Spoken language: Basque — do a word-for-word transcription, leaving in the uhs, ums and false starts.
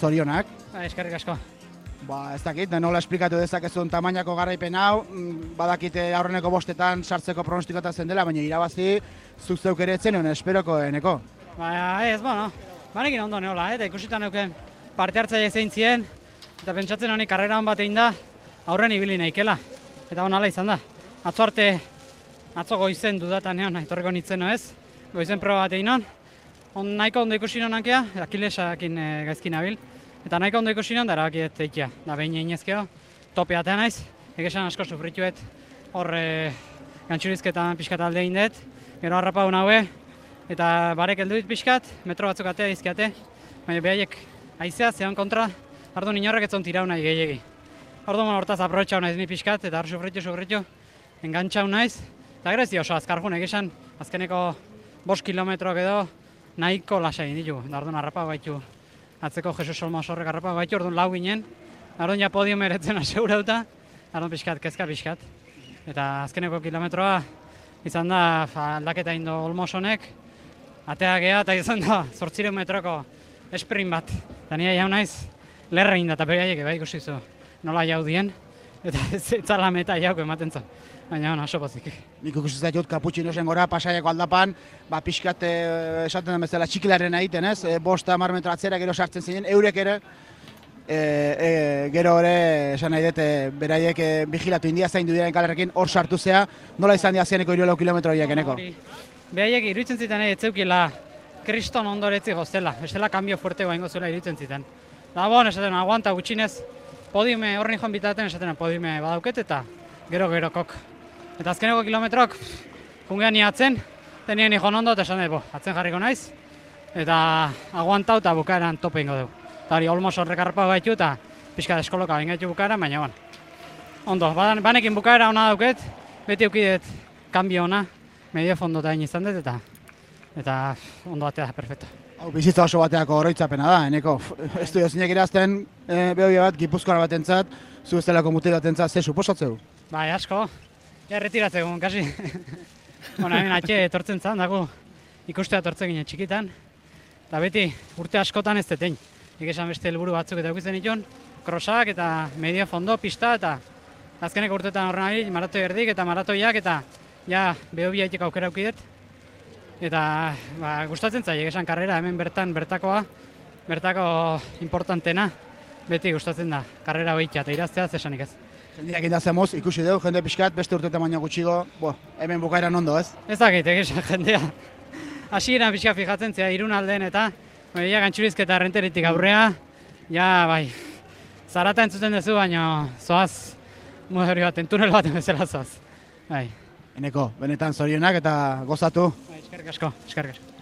Zorionak. Ba, eskerrik asko. Ba, ez dakit, nola esplikatu dezakezun tamainako garaipen hau, badakite aurreneko bostetan sartzeko pronostikota zen dela, baina irabazi zuk zeuk ere etzen honen esperoko eneko. Ba, ez, bueno, banekin ondo neola, eta ikusitan neuken parte hartzaile zein zien, eta pentsatzen honi karrera hon bat egin da, aurren ibili nahikela. Eta honala izan da. Atzo arte, atzo goizen dudatan egon, etorriko nintzen ez, goizen proba bat egin hon. On nahiko ondo ikusi non hankea, Akilesakin e, gaizkin nabil. Eta nahiko ondo ikusi non, da erabakiet eikia. Da behin einezkeo, tope atea naiz. Egesan asko sufrituet, hor e, gantxurizketan pixkat alde egin dut. Gero harrapa hon haue, eta barek heldu dit pixkat, metro batzuk atea dizkiate. Baina behaiek aizea, zehan kontra, ardu inorrek etzon tirau nahi gehiagi. Orduan hortaz aprobetxau naiz ni pixkat, eta hor sufritu, sufritu, engantxau naiz. Eta gero ez di oso azkarjun, egesan, azkeneko bost kilometroak edo, nahiko lasai ditu, da orduan harrapa baitu, atzeko Jesus Olmos horrek harrapa baitu, orduan lau ginen, orduan ja podio meretzen asegurauta, orduan pixkat, kezka pixkat. Eta azkeneko kilometroa izan da aldaketa indo Olmos honek, atea geha eta izan da zortzireun metroko esprint bat. Eta nire jau naiz, lerre inda eta beraiek bai ikusi zu nola jau dien, eta ez zala meta jauko ematen zu. Baina hona, oso pozik. Nik ikusi zaitut kaputxinosen gora pasaiako aldapan, ba, pixkat e, esaten den bezala txikilaren egiten ez, e, bost hamar metro atzera gero sartzen zinen, eurek ere, e, e, gero ere, esan nahi dut, e, beraiek e, vigilatu india zain dudiaren kalerrekin, hor sartu zea, nola izan diazieneko hiruelau kilometro horiek eneko? Beraiek iruditzen ziten ez zeukila kriston ondoretzi goztela, bestela kambio fuerte guaingo zuela iruditzen ziten. Da bon, esaten, aguanta gutxinez, podiume horren joan bitaten, esaten, podiume badauket eta gero gero kok. Eta azkeneko kilometrok, jungean niatzen, tenien nijon ondo, eta esan dut, atzen jarriko naiz, eta aguantau eta bukaeran tope ingo dugu. Eta hori Olmos horrek harrapa baitu eta pixka deskoloka bingaitu bukaeran, baina bon. Ondo, banekin bukaera ona dauket, beti eukidet kanbio ona, medio fondo eta izan dut, eta, eta ondo batea da, perfecto. Hau, bizitza oso bateako oroitzapena da, eneko. Ez du jozinek irazten, e, behobia bat, gipuzkoan batentzat, zu ez delako mutil batentzat, ze suposatzeu? Bai, asko. Ja, retiratzeko, kasi. Bona, hemen atxe etortzen zan, dago ikustea etortzen ginen txikitan. Eta beti, urte askotan ez detein. Egesan beste helburu batzuk eta eukitzen ditun, krosak eta medio fondo, pista, eta azkeneko urtetan horren ari, maratoi erdik eta maratoiak, eta ja, behobia itek aukera aukidet. Eta, ba, gustatzen zai, egesan karrera hemen bertan, bertakoa, bertako importantena, beti gustatzen da, karrera hoitia, eta iraztea zesanik ez. Jendeak indazemoz, ikusi dugu, jende pixkat, beste urtetan baina gutxigo, bo, hemen bukaeran ondo, ez? Ez dakit, egisan jendea. Hasieran pixka fijatzen zea, irun alden eta ja, gantxurizketa errenteritik aurrea, ja, bai, zarata entzuten duzu, baina zoaz, moderi baten, tunel baten bezala zoaz. Bai. Eneko, benetan zorionak eta gozatu. Bai, eskerrik asko, eskerrik asko.